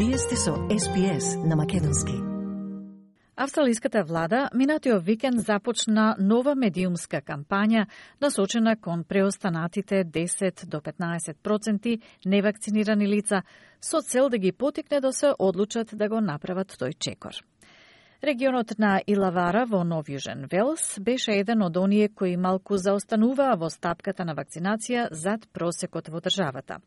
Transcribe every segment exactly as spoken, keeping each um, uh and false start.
Вие сте со Ес Би Ес на македонски. Австралиската влада минатиот викенд започна нова медиумска кампања насочена кон преостанатите десет до петнаесет проценти невакцинирани лица со цел да ги потикне да се одлучат да го направат тој чекор. Регионот на Илавара во Нов Јужен Велс беше еден од оние кои малку заостануваа во стапката на вакцинација зад просекот во државата.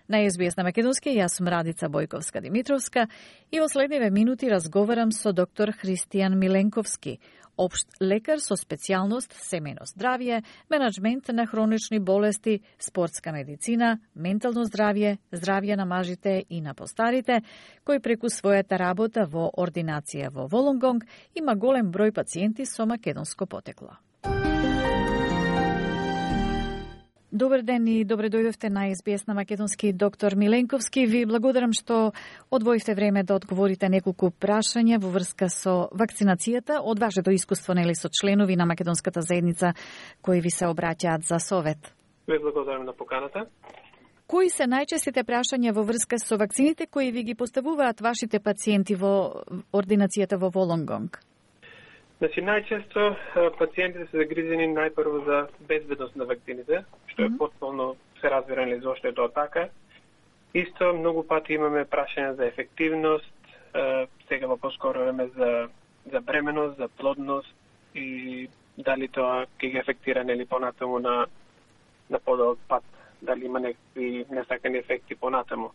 На Ес Би Ес на македонски, јас сум Радица Бојковска-Димитровска и во следниве минути разговарам со доктор Христијан Миленковски, општ лекар со специјалност семејно здравје, менаџмент на хронични болести, спортска медицина, ментално здравје, здравје на мажите и на постарите, кој преку својата работа во ординација во Волонгонг има голем број пациенти со македонско потекло. Добар ден и добре дојдовте на Ес Би Ес на македонски, доктор Миленковски. Ви благодарам што одвоивте време да одговорите неколку прашања во врска со вакцинацијата од вашето искуство, нели, со членови на македонската заедница кои ви се обраќаат за совет. Ви благодарам на поканата. Кои се најчестите прашања во врска со вакцините кои ви ги поставуваат вашите пациенти во ординацијата во Волонгонг? Значи, најчесто пациентите се загрижени најпрво за безбедност на вакцините, што е mm -hmm. потполно се разбира ли зошто е тоа така. Исто, многу пати имаме прашања за ефективност, сега во поскоро време за, за бременост, за плодност и дали тоа ќе ги ефектира нели понатаму на, на подолг пат, дали има некакви несакани ефекти понатаму.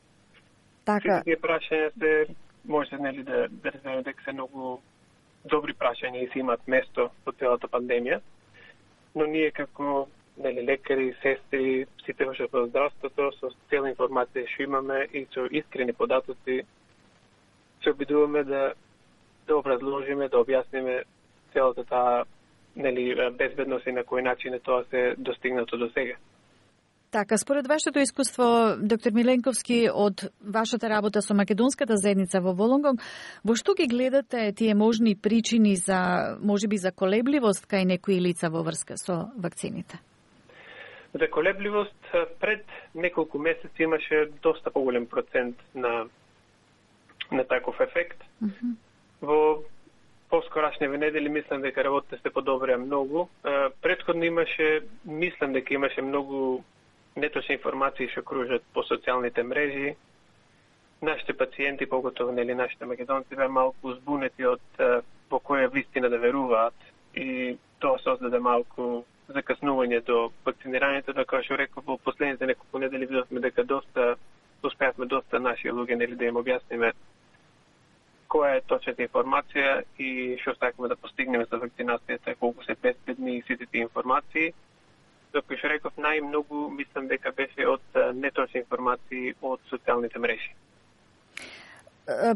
Така. Тие прашања се, може нели да, да разберем дека се многу добри прашања и се имат место во целата пандемија, но ние како нели лекари, сестри, сите во здравството, со цела информација што имаме и со искрени податоци се обидуваме да да образложиме, да објасниме целата таа нели безбедност и на кој начин е тоа се достигнато до сега. Така, според вашето искуство, доктор Миленковски, од вашата работа со македонската заедница во Волонгонг, во што ги гледате тие можни причини за, можеби за колебливост кај некои лица во врска со вакцините? За колебливост, пред неколку месеци имаше доста поголем процент на на таков ефект. Mm -hmm. Во поскорашниве недели мислам дека работите се подобрија многу. Претходно имаше, мислам дека имаше многу неточни информации што кружат по социјалните мрежи. Нашите пациенти, поготово нели нашите македонци, беа малку збунети од во која вистина да веруваат и тоа создаде малку закаснување до вакцинирањето, да како што реков во последните неколку недели видовме дека доста успеавме доста наши луѓе нели да им објасниме која е точната информација и што сакаме да постигнеме со вакцинацијата, колку се безбедни и сите тие информации. Како што реков, најмногу мислам дека беше од неточни информации од социјалните мрежи.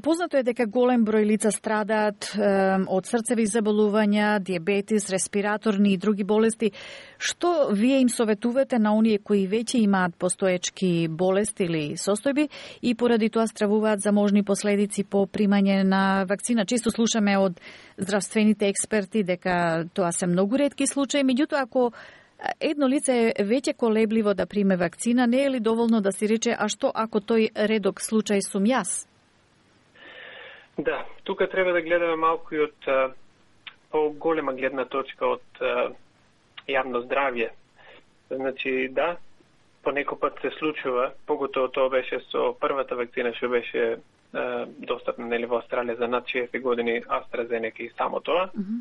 Познато е дека голем број лица страдаат е, од срцеви заболувања, диабетис, респираторни и други болести. Што вие им советувате на оние кои веќе имаат постоечки болести или состојби и поради тоа стравуваат за можни последици по примање на вакцина? Често слушаме од здравствените експерти дека тоа се многу ретки случаи, меѓутоа ако едно лице е веќе колебливо да приме вакцина, не е ли доволно да си рече, а што ако тој редок случај сум јас? Да, тука треба да гледаме малку и од а, по-голема гледна точка од а, јавно здравје. Значи, да, понекој пат се случува, поготово тоа беше со првата вакцина што беше а, достапна нели во Австралија за над шеесет години, AstraZeneca и само тоа. Mm -hmm.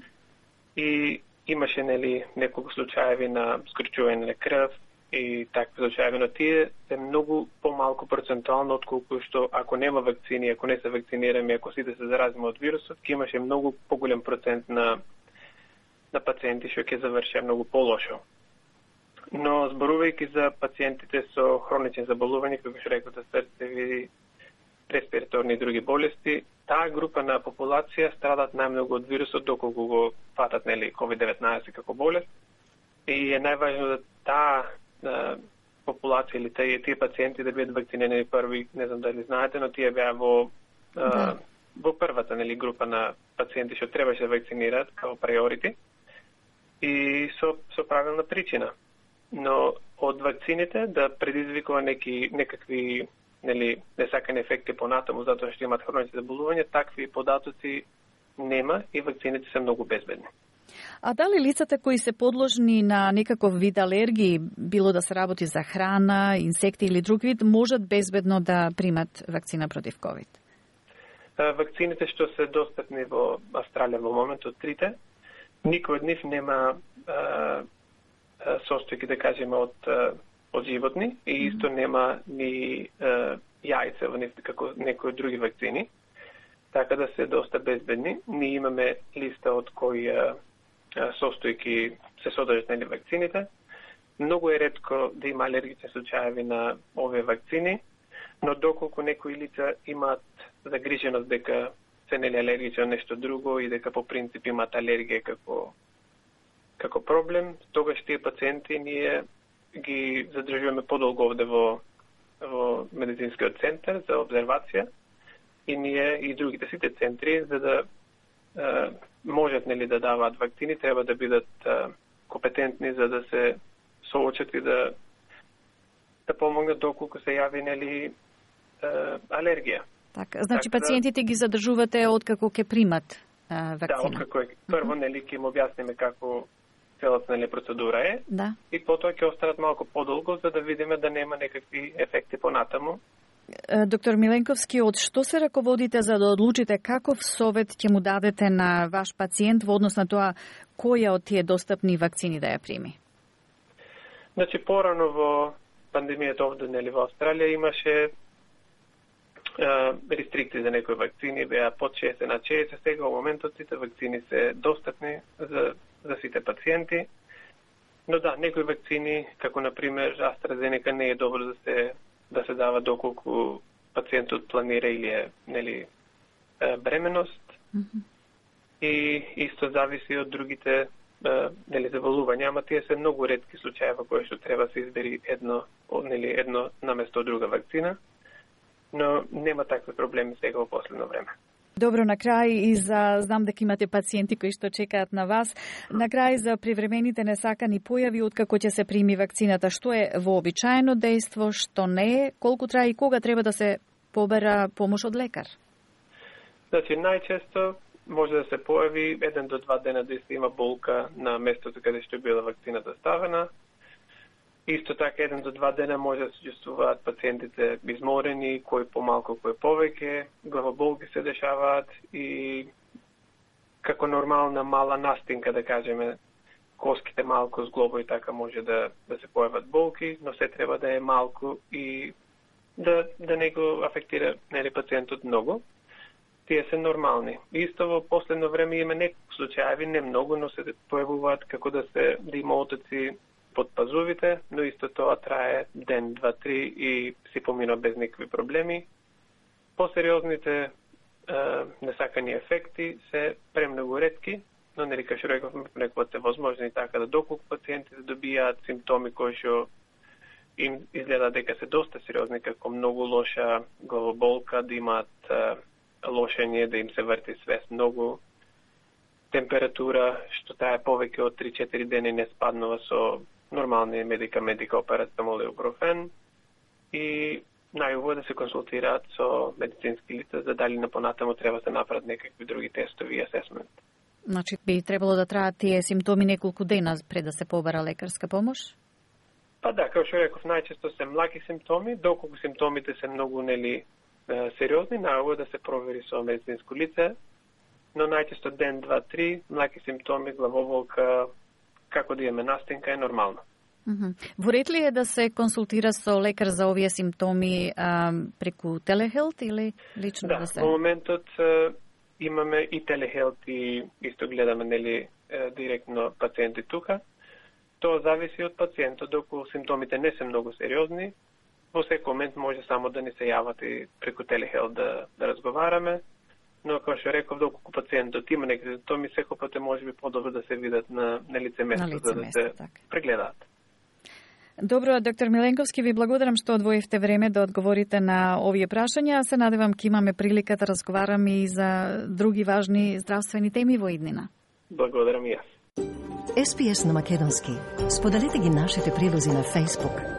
И имаше нели неколку случаеви на скрчување на крв и такви случаеви, но тие се многу помалку процентуално отколку што ако нема вакцини, ако не се вакцинираме, ако сите се заразиме од вирусот, ќе имаше многу поголем процент на на пациенти што ќе заврши многу полошо. Но зборувајќи за пациентите со хронични заболувања, како што реков, срцеви, респираторни и други болести, таа група на популација страдат најмногу од вирусот доколку го фатат нели ковид деветнаесет како болест. И е најважно да таа популација или тие, тие пациенти да бидат вакцинирани први, не знам дали знаете, но тие беа во да. во првата нели група на пациенти што требаше да вакцинираат како приорити и со со правилна причина. Но од вакцините да предизвикува неки некакви нели несакани ефекти понатаму затоа што имаат хронични заболувања, такви податоци нема и вакцините се многу безбедни. А дали лицата кои се подложни на некаков вид алергии, било да се работи за храна, инсекти или друг вид, можат безбедно да примат вакцина против ковид? Вакцините што се достапни во Австралија во моментот, трите, никој од нив нема а, состојки, да кажеме, од, од животни и исто нема ни а, јајца во нив, како некои други вакцини, така да се доста безбедни. Ние имаме листа од кои а, состојки се содржат на вакцините. Многу е ретко да има алергични случаеви на овие вакцини, но доколку некои лица имаат загриженост дека се нели алергични на нешто друго и дека по принцип имаат алергија како како проблем, тогаш тие пациенти ние ги задржуваме подолго овде во во медицинскиот центар за обзервација и ние и другите сите центри за да е, можат нели да даваат вакцини, треба да бидат е, компетентни за да се соочат и да да помогнат доколку се јави нели е, алергија. Така, значи така, пациентите ги задржувате откако ќе примат а, вакцина? Да, откако е. Прво нели ќе им објасниме како целата нели процедура е. Да. И потоа ќе останат малку подолго за да видиме да нема некакви ефекти понатаму. Доктор Миленковски, од што се раководите за да одлучите каков совет ќе му дадете на ваш пациент во однос на тоа која од тие достапни вакцини да ја прими? Значи порано во пандемијата овде нели во Австралија имаше рестрикции за некои вакцини, беа под шеесет на шеесет, сега во моментот сите вакцини се достапни за, за сите пациенти. Но да, некои вакцини, како например AstraZeneca, не е добро да се да се дава доколку пациентот планира или е нели бременост. Mm-hmm. И исто зависи од другите нели заболувања, ама тие се многу ретки случаи во кои што треба да се избери едно нели едно наместо друга вакцина. Но нема такви проблеми сега во последно време. Добро, на крај и за знам дека имате пациенти кои што чекаат на вас. На крај за привремените несакани појави откако ќе се прими вакцината, што е вообичаено дејство, што не е, колку трае и кога треба да се побера помош од лекар? Значи најчесто може да се појави еден до два дена да се има болка на местото каде што била вакцината ставена. Исто така, еден до два дена може да се чувствуваат пациентите изморени, кој помалку, кој повеќе, главоболки се дешаваат и како нормална мала настинка, да кажеме, коските малку зглобо и така може да, да се појават болки, но се треба да е малку и да, да не го афектира нели пациентот многу. Тие се нормални. Исто во последно време има неколку случаи, не многу, но се појавуваат како да се да има отоци под пазувите, но исто тоа трае ден, два, три и си помина без никакви проблеми. Посериозните е, несакани ефекти се премногу ретки, но нели како што рековме, понекогаш се возможни така да доколку пациентите добијаат симптоми кои што им изгледа дека се доста сериозни, како многу лоша главоболка, да имаат е, лошење, да им се врти свест многу, температура што таа е повеќе од три-четири дена не спаднува со нормални медикаменти како парацетамол и ибупрофен и најубаво да се консултираат со медицински лица за дали на понатамо треба да се направат некакви други тестови и асесмент. Значи би требало да траат тие симптоми неколку дена пред да се побара лекарска помош? Па да, како што реков, најчесто се млаки симптоми, доколку симптомите се многу нели сериозни, најубаво да се провери со медицинско лице, но најчесто ден, два, три, млаки симптоми, главоболка, како да имаме настинка е нормално. Mm-hmm. Во ред ли е да се консултира со лекар за овие симптоми а, преку телехелт или лично да, да се? Да, во моментот а, имаме и телехелт и исто гледаме нели директно пациенти тука. Тоа зависи од пациентот, доколку симптомите не се многу сериозни, во секој момент може само да ни се јават и преку телехелт да, да разговараме. Но како што реков, доколку пациентот има некои симптоми, секој пат е можеби подобро да се видат на, на лице место, на лице за да место, се так. прегледаат. Добро, доктор Миленковски, ви благодарам што одвоивте време да одговорите на овие прашања. Се надевам ке имаме прилика да разговараме и за други важни здравствени теми во иднина. Благодарам и јас. Ес Би Ес на македонски. Споделете ги нашите прилози на Facebook.